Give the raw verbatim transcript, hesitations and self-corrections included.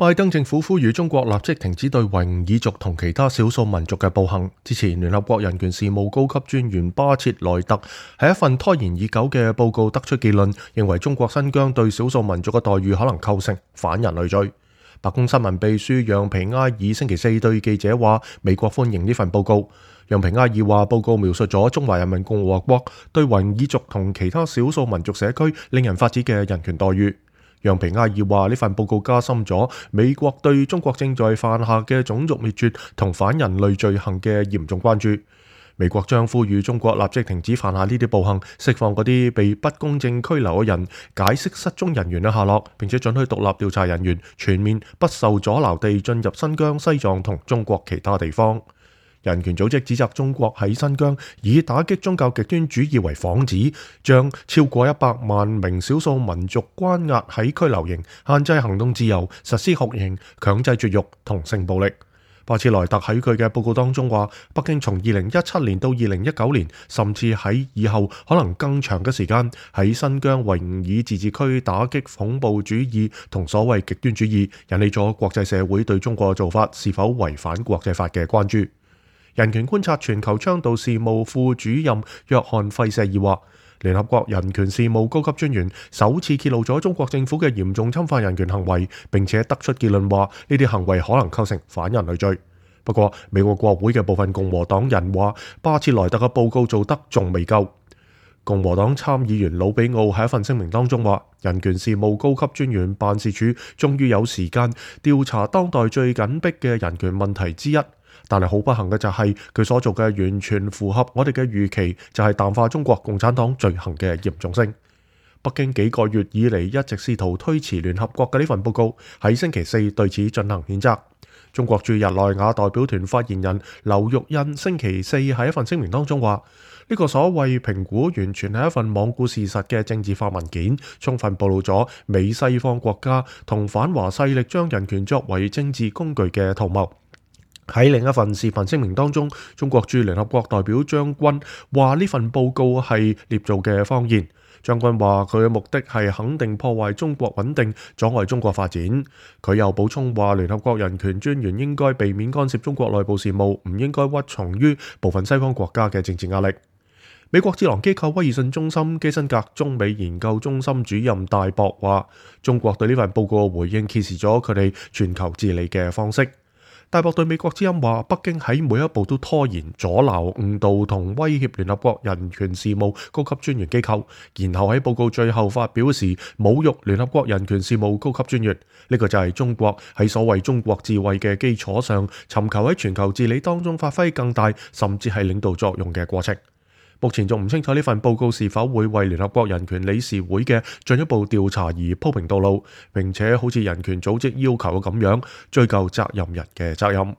拜登政府呼籲中國立即停止對維吾爾族同其他少數民族嘅暴行。之前聯合國人權事務高級專員巴切萊特喺一份拖延已久嘅報告得出結論，認為中國新疆對少數民族嘅待遇可能構成反人類罪。白宮新聞秘書讓皮埃爾星期四對記者話，美國歡迎呢份報告。讓皮埃爾話，報告描述咗中華人民共和國對維吾爾族同其他少數民族社區令人髮指嘅人權待遇。讓皮埃爾話，呢份報告加深咗美國對中國正在犯下嘅種族滅絕同反人類罪行嘅嚴重關注。美國將呼籲中國立即停止犯下呢啲暴行，釋放嗰啲被不公正拘留嘅人，解釋失蹤人員嘅下落，並且准許獨立調查人員全面不受阻撓地進入新疆、西藏同中國其他地方。人權組織指責中國喺新疆以打擊宗教極端主義為幌子，將超過一百萬名少數民族關押喺拘留營，限制行動自由，實施酷刑、強制絕育同性暴力。巴切萊特喺佢嘅報告當中話，北京從二零一七年到二零一九年，甚至喺以後可能更長嘅時間，喺新疆維吾爾自治區打擊恐怖主義同所謂極端主義，引起咗國際社會對中國嘅做法是否違反國際法嘅關注。人權觀察全球倡導事務副主任約翰費舍爾話，聯合國人權事務高級專員首次揭露咗中國政府嘅嚴重侵犯人權行為，並且得出結論話呢啲行為可能構成反人類罪。不過美國國會嘅部分共和黨人話，巴切萊特嘅報告做得仲未夠。共和黨參議員魯比奧喺一份聲明當中話，人權事務高級專員辦事處終於有時間調查當代最緊迫嘅人權問題之一。但係好不幸嘅就係佢所做嘅完全符合我哋嘅預期，就係淡化中國共產黨罪行嘅嚴重性。北京幾個月以嚟一直試圖推遲聯合國嘅呢份報告，喺星期四對此進行譴責。中國駐日內瓦代表團發言人劉玉印星期四喺一份聲明當中話，呢個所謂評估完全係一份罔顧事實嘅政治化文件，充分暴露咗美西方國家同反華勢力將人權作為政治工具嘅圖謀。喺另一份視頻聲明當中，中國駐聯合國代表張軍話呢份報告係捏造嘅謊言。張軍話佢嘅目的係肯定破壞中國穩定，阻礙中國發展。佢又補充話，聯合國人權專員應該避免干涉中國內部事務，唔應該屈從於部分西方國家嘅政治壓力。美國智囊機構威爾遜中心基辛格中美研究中心主任戴博話，中國對呢份報告嘅回應揭示咗佢哋全球治理嘅方式。戴博對美國之音話，北京喺每一步都拖延、阻撓、誤導同威脅聯合國人權事務高級專員機構，然後喺報告最後發表時侮辱聯合國人權事務高級專員。呢個就係中國喺所謂中國智慧嘅基礎上，尋求喺全球治理當中發揮更大，甚至係領導作用嘅過程。目前仲唔清楚呢份報告是否會為聯合國人權理事會嘅進一步調查而鋪平道路，並且好似人權組織要求嘅咁樣追究責任人嘅責任。